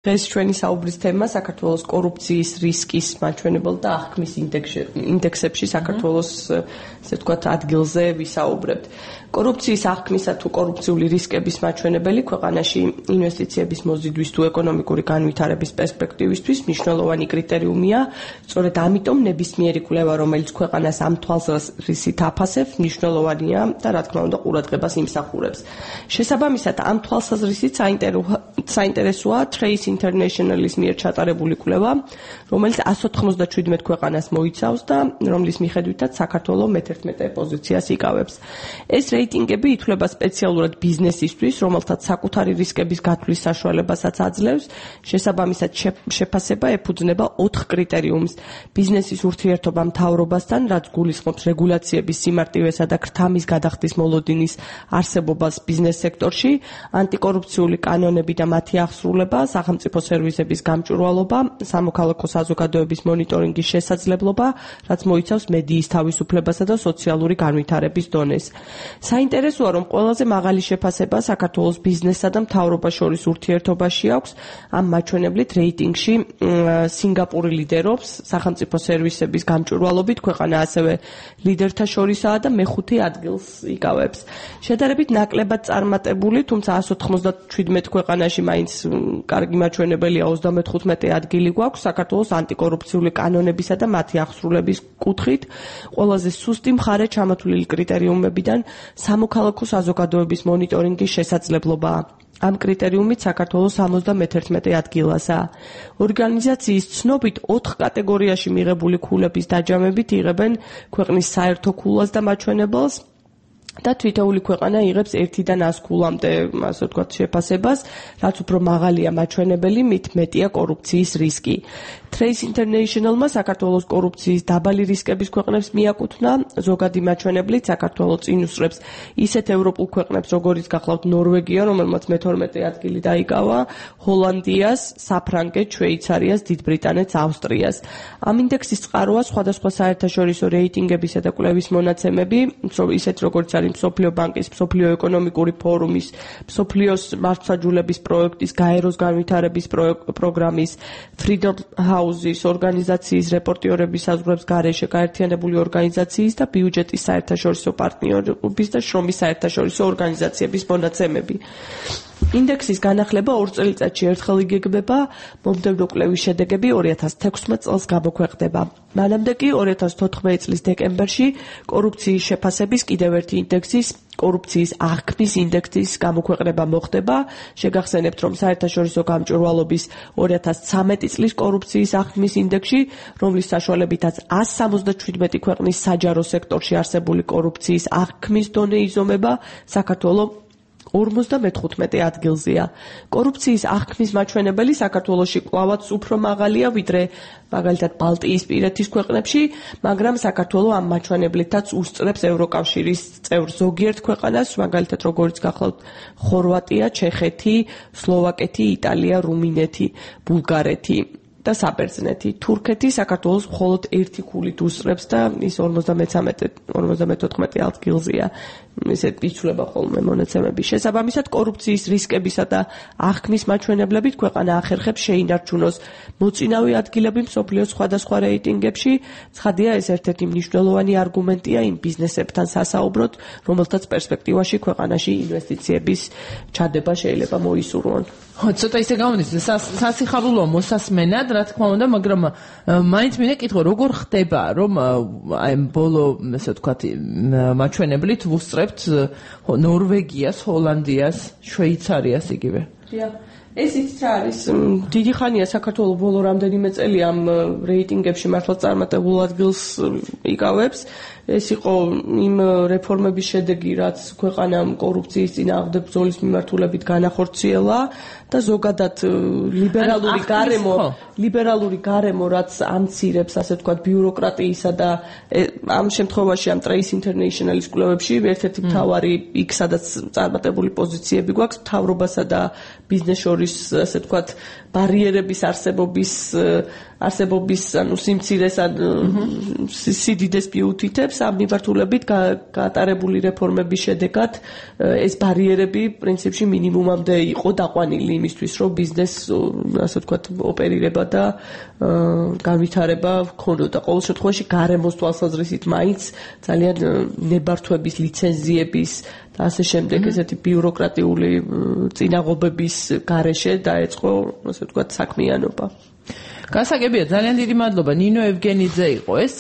დღეს ჩვენი საუბრის თემა საქართველოს კორუფციის რისკის მაჩვენებელ და აღქმის ინდექსებში საქართველოს ესე ვთქვათ ადგილზე ვისაუბრებთ. კორუფციის აღქმისა თუ კორუფციული რისკების მაჩვენებელი ქვეყანაში ინვესტიციების მოზიდვის თუ ეკონომიკური განვითარების პერსპექტივისთვის მნიშვნელოვანი კრიტერიუმია. სწორედ ამიტომ ნებისმიერი კვლევა, რომელიც ქვეყანას ამ თვალსაზრისით აფასებს, მნიშვნელოვანია და რა თქმა უნდა ყურადღებას იმსახურებს. შესაბამისად, ამ თვალსაზრისით საინტერესოა Trace International-ის მიერ ჩატარებული კვლევა, რომელიც 197 ქვეყანას მოიცავს და რომლის მიხედვითაც საქართველო მე-11 პოზიციას იკავებს. ეს რეიტინგები ითვლება სპეციალურად ბიზნესისთვის, რომელთაც საკუთარი რისკების გათვლის საშუალებასაც აძლევს. შესაბამისად, შეფასება ეფუძნება 4 კრიტერიუმს: ბიზნესის ურთიერთობა მთავრობასთან, რაც გულისხმობს რეგულაციების სიმარტივესა და ქრთამის გადახდის მოლოდინის არსებობას ბიზნეს სექტორში, ანტიკორუფციული კანონები და მათი აღსრულება, სახელმწიფო სერვისების გამჭვირვალობა, სამოქალაქო საზოგადოების მონიტორინგის შესაძლებლობა, რაც მოიცავს მედიის თავისუფლებასა და სოციალური განვითარების დონეს. საინტერესოა, რომ ყველაზე მაღალი შეფასება საქართველოს ბიზნესსა და მთავრობას შორის ურთიერთობაში აქვს. ამ მაჩვენებლით რეიტინგში სინგაპური ლიდერობს, სახელმწიფო სერვისების გამჭვირვალობით ქვეყანა ასევე ლიდერთა შორისაა და მე-5 ადგილს იკავებს. შედარებით ნაკლებად წარმატებული, თუმცა 197 ქვეყანაში მაინც კარგი მაჩვენებელია 35 ადგილი გვაქვს საქართველოს ანტიკორუფციული კანონებისა და მათი აღსრულების კუთხით. ყველაზე სუსტი მხარე ჩამოთვლილი კრიტერიუმებიდან სამოქალაქო საზოგადოების მონიტორინგის შესაძლებლობაა. ამ კრიტერიუმით საქართველოს 71 ადგილასაა. ორგანიზაციის ცნობით 4 კატეგორიაში მიღებული ქულების დაჯამებით იღებენ ქვეყნის საერთო ქულას და მაჩვენებელს და თითოეული ქვეყანა იღებს 1-დან 100 ქულამდე, ასე ვთქვათ, შეფასებას, რაც უფრო მაღალია მაჩვენებელი, მით მეტია კორუფციის რისკი. Trace International-მა საქართველოს კორუფციის დაბალი რისკების ქვეყნებს მიაკუთვნა, ზოგადი მაჩვენებლით საქართველოს წინ უსწრებს ისეთ ევროპულ ქვეყნებს, როგორიც გახლავთ ნორვეგია, რომელმაც მე-12 ადგილი დაიკავა, ჰოლანდიას, საფრანგეთს, შვეიცარიას, დიდ ბრიტანეთს, ავსტრიას. ამ ინდექსის წყაროა სხვადასხვა საერთაშორისო რეიტინგებისა და კვლევის მონაცემები, ისეთ როგორც არის მსოფლიო ბანკის, მსოფლიო ეკონომიკური ფორუმის, მსოფლიოს მართლმსაჯულების პროექტის, გაეროს განვითარების პროგრამის, Freedom House-ის ორგანიზაციის რეპორტიორების საზღვრებს გარეშე გაერთიანებული ორგანიზაციის და ბიუჯეტის საერთაშორისო პარტნიორობის და შრომის საერთაშორისო ორგანიზაციების მონაცემები. ინდექსის განახლება 2 წელიწადში ერთხელ იგეგმება, მომდევნო კვლევის შედეგები 2016 წელს გამოქვეყნდება. მანამდე კი 2014 წლის დეკემბერში კორუფციის შეფასების კიდევ ერთი ინდექსის, კორუფციის აღქმის ინდექსის გამოქვეყნება მოხდება. შეგახსენებთ, რომ საერთაშორისო გამჭვირვალობის 2013 წლის კორუფციის აღქმის ინდექსში, რომლის საშუალებითაც 177 ქვეყნის საჯარო სექტორში არსებული კორუფციის აღქმის დონე იზომება, საქართველოს 55 ადგილზეა. კორუფციის აღქმის მაჩვენებელი საქართველოში კვლავაც უფრო მაღალია, ვიდრე მაგალითად ბალტიისპირეთის ქვეყნებში, მაგრამ საქართველო ამ მაჩვენებლითაც უსწრებს ევროკავშირის წევრ ზოგიერთ ქვეყანას, მაგალითად როგორც გახლავთ ხორვატია, ჩეხეთი, სლოვაკეთი, იტალია, რუმინეთი, ბულგარეთი და საბერძნეთი. თურქეთი საქართველოს მხოლოდ 1 ქულით უსწრებს და ის 54 ადგილზეა. ისეთ იცვლება ხოლმე მონაცემები. შესაბამისად, კორუფციის რისკებისა და აღქმის მაჩვენებლებით ქვეყანა ახერხებს შეინარჩუნოს მოწინავე ადგილები მსოფლიოს სხვადასხვა რეიტინგებში. ცხადია, ეს ერთ-ერთი მნიშვნელოვანი არგუმენტია იმ ბიზნესებთან სასაუბროდ, რომელთაც პერსპექტივაში ქვეყანაში ინვესტიციების ჩადება შეიძლება მოისურვონ. ცოტა ისე გამოდის, სასიხარულო მოსასმენად, რა თქმა უნდა, მაგრამ მაინც მინდა კითხო, როგორ ხდება, რომ აი ბოლო, ესე ვთქვათ, მაჩვენებლით ვუსწრებთ ნორვეგიას, ჰოლანდიას, შვეიცარიას იგივე. ეს იცით რა არის? დიდი ხანია საქართველოს ბოლო რამდენიმე წელი ამ რეიტინგებში მართლაც წარმატებულ ადგილს იკავებს. ეს იყო იმ რეფორმების შედეგი, რაც ქვეყანამ კორუფციის წინააღმდეგ ბრძოლის მიმართულებით განახორციელა და ზოგადად ლიბერალური გარემო, რაც ამცირებს, ასე ვთქვათ, ბიუროკრატიისა და ამ შემთხვევაში ამ Trace International-ის კვლევებში ერთ-ერთი მთავარი იქ, სადაც წარმატებული პოზიციები გვაქვს, მთავრობასა და ბიზნეს შორის, ასე ვთქვათ, ბარიერების არსებობის ანუ სიმცირეს ან სიდიდეს მიუთითებს ამ მიმართულებით გატარებული რეფორმების შედეგად ეს ბარიერები პრინციპში მინიმუმამდე იყო დაყვანილი იმისთვის რომ ბიზნესს ასე ვთქვათ ოპერირება და განვითარება ქონოდა ყოველ შემთხვევაში გარემოს თვალსაზრისით მაინც ძალიან ნებართვების ლიცენზიების და ასე შემდეგ ესეთი ბიუროკრატიული წინაღობების გარეშე დაეწყო ასე ვთქვათ საქმიანობა გასაგებია ძალიან დიდი მადლობა ნინო ევგენიძე იყო ეს